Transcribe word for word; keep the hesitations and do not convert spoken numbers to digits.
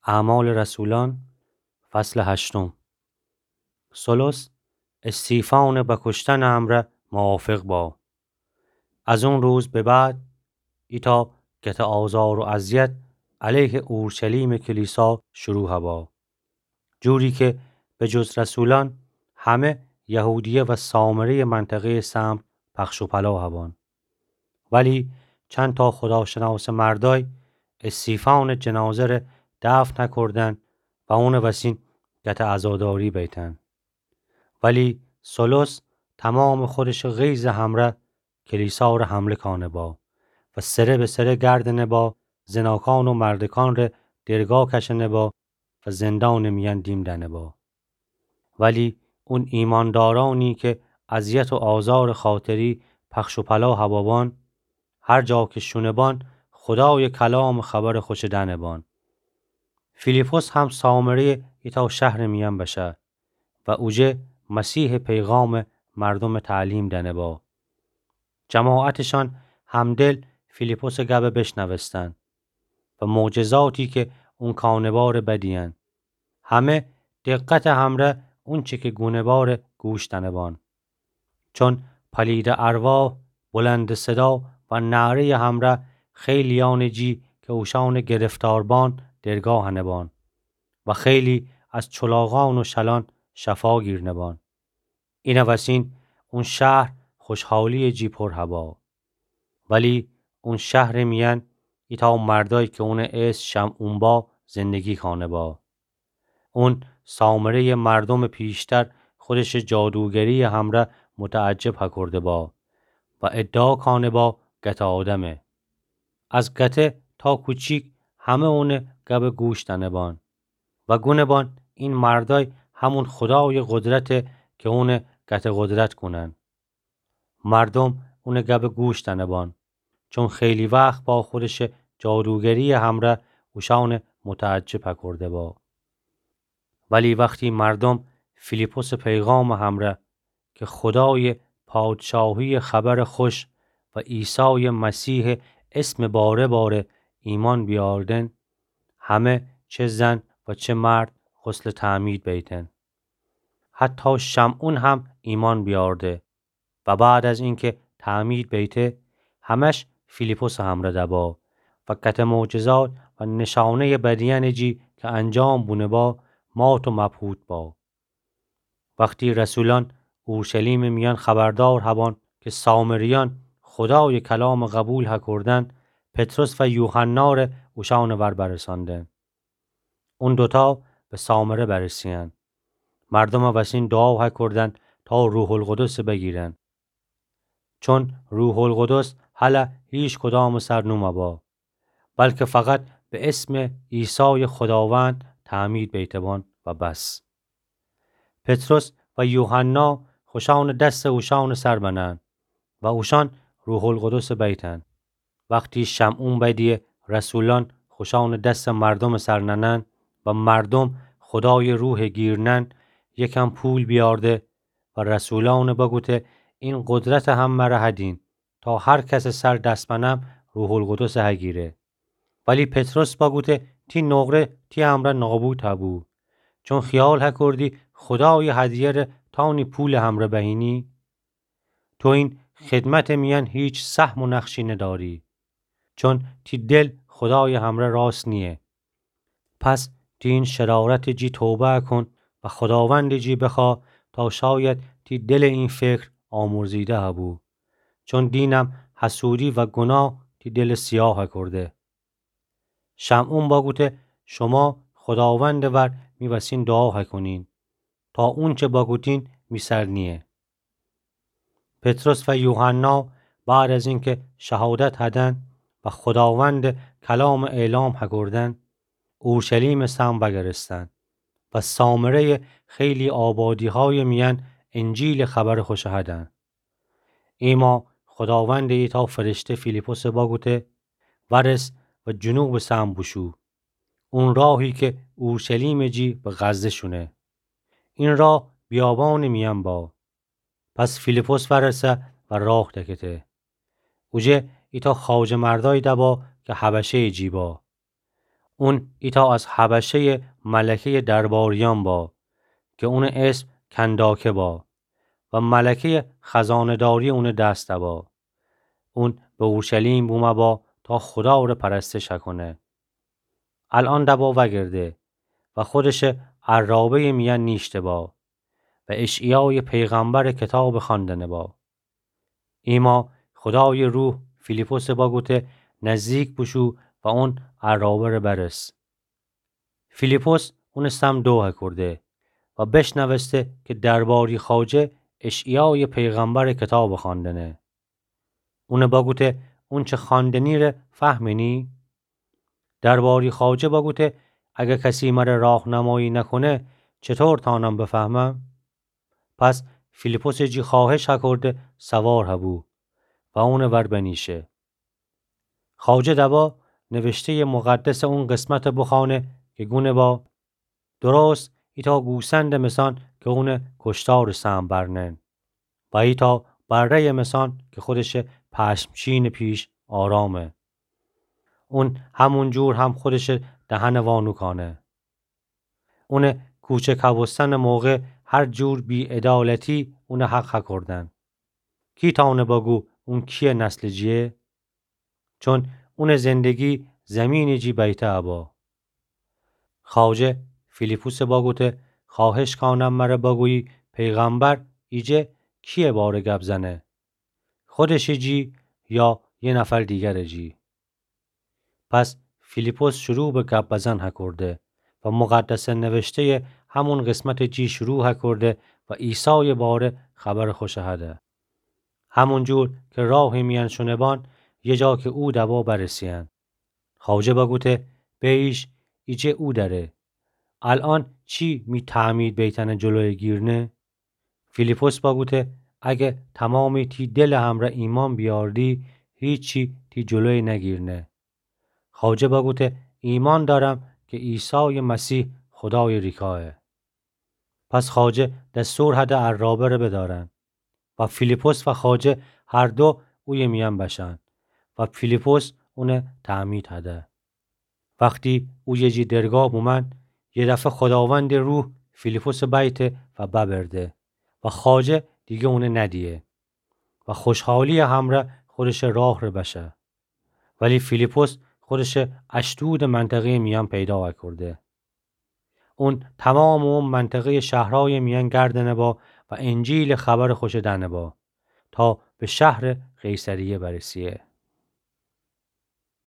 اعمال رسولان، فصل هشتم. سولوس استیفانٚ بکشتنٚ امرأ موافق با. از اون روز به بعد ایتأ گته آزار و اذیت علیه اورشلیمٚ کلیسا شروع با، جوری که به جز رسولان همه یهودیه و سامره‌یٚ منطقه‌یٚ سمر پخش و پلا بان. ولی چندتأ خوداشناسٚ مردأی استیفانٚ جنازه ره دفن کودن و اونٚ وسین گته عزاداری بیتن. ولی سولوس تومامٚ خودشٚ غیظٚ همرأ کلیسا ره حمله کانه با و سره به سره گردنه با، زناکان و مردکان ره درگا کشنه با و زندانٚ میأن دیم دأنه با. ولی اون ایماندارأنی که اذیت و آزارٚ خاطری پخش و پلا بابان، هر جا که شونه بان، خودایٚ کلامٚ خبرٚ خوشه دأنه بان. فیلیپس هم سامره‌یٚ ایتأ شهرٚ میأن بشه و اوجه مسیحٚ پیغام مردومٚ تعلیم دأنه با. جماعتشان همدل فیلیپسٚ گبه بشنوستن و معجزاتی که اون کانه باره بدیئن. همه دقتٚ همرأ اونچه که گونه باره گوش دأنه بان. چون پلیدٚ ارواح بلندٚ صدا و نعره‌یٚ همرأ خیلیأنٚ جی که اوشأنٚ گرفتار بان درگا هنه بان و خیلی از چلاغان و شلان شفا گیرنه بان. اینٚ وسین اون شهر خوشحالی‌یٚ جی پر با. ولی اون شهرٚ میأن ایتأ مردأی که اونٚ اسم شمعون با زندگی کانه با. اون سامره‌یٚ مردومٚ پیشتر خودشٚ جادوگری‌یٚ همرأ متعجب هکورده با و ادعا کانه با گته آدمه. از گته تا کوچیک همه اونٚ گبه گوش دأنه بان و گونه بان این مردأی همون خودایٚ قدرته که اونٚ گته قدرت کونن. مردوم اونٚ گبه گوش دأنه بان، چون خیلی وخت با خودشٚ جادوگری‌یٚ همرأ اوشأنٚ متعجب هکورده با. ولی وختی مردوم فیلیپسٚ پیغامٚ همرأ که خودایٚ پادشاهی‌یٚ خبرٚ خوش و عیسایٚ مسیحٚ اسمٚ باره باره ایمأن بیاردن، همه چه زن و چه مرد غسلٚ تعمید بیتن. حتی شمعون هم ایمأن بیارده و بعد از اینکه تعمید بیته، همش فیلیپسٚ همرأ دبا و گته معجزات و نشانه‌یٚ بدیأنٚ جی که انجام بونه با، مات و مبهوت با. وختی رسولأن اورشلیمٚ میأن خبردار هبان که سامریأن خودایٚ کلامٚ قبول هکوردن، پطرس و یوحنا ره اوشأنٚ ور برسأندن. اون دوتا به سامره برسه‌یأن. مردومٚ وسین دوعا هکوردن تا روح‌القدسٚ بگیرن. چون روح‌القدس هله هیچ کدامٚ سر نومه با، بلکه فقط به اسمٚ عیسایٚ خوداوند تعمید بیته بان و بس. پطرس و یوحنا خوشأنٚ دسٚ اوشأنٚ سر بنن و اوشأن روح‌القدسٚ بیتن. وختی شمعون بدیه رسولأن خوشأنٚ دسٚ مردومٚ سر ننن و مردوم خودایٚ روحٚ گیر نن، یکم پول بیارده و رسولأنٚ بگوته: این قدرتٚ هم مره هدین تا هر کسٚ سر دس بنم روح‌القدسٚ هگیره. ولی پطرس بگوته: تی نقره تی امرأ نابود هبو، چون خیال هکوردی خودایٚ هدیه ره تأنی پولٚ همرأ بهینی؟ تو این خدمتٚ میأن هیچ سهم و نقشی نداری، چون تی دل خودایٚ همرأ راست نییه. پس تی این شرارتٚ جی توبه کون و خوداوندٚ جی بخوا تا شاید تی دلٚ این فکر آمرزیده هبو، چون دینم حسودی و گناه تی دلٚ سیاه هکورده. شمعون بگوته: شوما خوداوندٚ ور می وسین دوعا هکونین تا اونچه بگوتین می سر نییه. پطرس و یوحنا بعد از اینکه شهادت هدن و خوداوندٚ کلامٚ اعلام هکوردن، اورشلیمٚ سمر وگرستن و سامره‌یٚ خیلی آبادیهایٚ میأن انجیلٚ خبرٚ خوش هدن. ایما خوداوندٚ ایتأ فرشته فیلیپسٚ بگوته: ورس و جنوبٚ سمر بوشو، اون راهی که اورشلیمٚ جی به غزه شونه. این راه بیابانٚ میأن با. پس فیلیپس ورسه و راه دکته. اوجه ایتأ خواجه مردأی دبا که حبشه‌یٚ جی با. اون ایتأ از حبشه‌یٚ ملکه‌یٚ درباریأن با، کی اونٚ اسم کنداکه با و ملکه‌یٚ خزانه‌داری اونٚ دس با. اون به اورشلیم بومه با تا خودا ره پرستش کونه. الأن دبا وأگرده و خودشٚ عرابه‌یٚ میأن نیشته با و اشعیایٚ پیغمبرٚ کتاب خوأندنه با. ایما خودایٚ روح فیلیپسه بگوته نزدیک بوشو و اون عرابه ره برس. فیلیپس اونٚ سمت دوه کورده و بشنوسته کی درباری خواجه اشعیایٚ پیغمبرٚ کتاب خوأندنه. اونه بگوته اونچه خوأندنی ره فهمینی؟ درباری خواجه بگوته اگر کسی مره راهنمایی نکونه، چطور تانم بفهمم؟ پس فیلیپسٚ جی خواهش هکورده سوار هبو و اونٚ ور بنیشه. خواجه دبا نوشته‌یٚ مقدسٚ اون قسمت بخوأنه کی گونه با، درست ایتأ گوسندٚ مثأن کی اونٚ کشتارٚ سهم برنن و ایتأ بره‌یٚ مثأن کی خودشٚ پشمچینٚ پیش آرامه. اون همون جور هم خودشٚ دهنٚ وا نوکأنه. اونٚ کوچه کبوستنٚ موقع هر جور بی‌عدالتی اونٚ حق هکوردن. کی تأونه بگو اون کیه نسلٚ جیه؟ چون اونٚ زندگی زیمینٚ جی بیته ابا. خواجه فیلیپسه بگوته خواهش کانم مره بگویی پیغمبر ایجه کیه باره گب زنه؟ خودشٚ جی یا یه نفر دیگرٚ جی؟ پس فیلیپس شروع به گب بزن هکورده و مقدسه نوشته‌یٚ همون قسمتٚ جی شروع هکورده و عیسایٚ باره خبرٚ خوشه هده. همون جور کی راهٚ میأن شونه بان، یه جا کی او دبا برسه‌یأن. خواجه بگوته بیش ایجه او دره. الأن چی می تعمید بیتنٚ جلویٚ گیرنه؟ فیلیپس بگوته اگه تمامی تی دلٚ همرأ ایمأن بیاردی، هیچی تی جلویٚ نگیرنه. خواجه بگوته ایمأن دأرم کی عیسایٚ مسیح خودایٚ ریکایه. پس خواجه دستور هده عرابه ره بدأرن و فیلیپس و خواجه هر دو اویه میأن بشن و فیلیپس اونه تعمید هده. وختی اویه جی درگاه بومأن، یه دفعه خوداوندٚ روح فیلیپسٚ بیته و ببرده و خواجه دیگه اونه ندیه و خوشحالیٚ همرأ خودشٚ راه ره بشه. ولی فیلیپس خودشٚ اشدودٚ منطقه‌یٚ میأن پیدا هکورده. اون تمامٚ او منطقه‌یٚ شهرهایٚ میأن گردنه با و انجیلٚ خبرٚ خوشه دأنه با تا به شهرٚ قیصریه برسیه.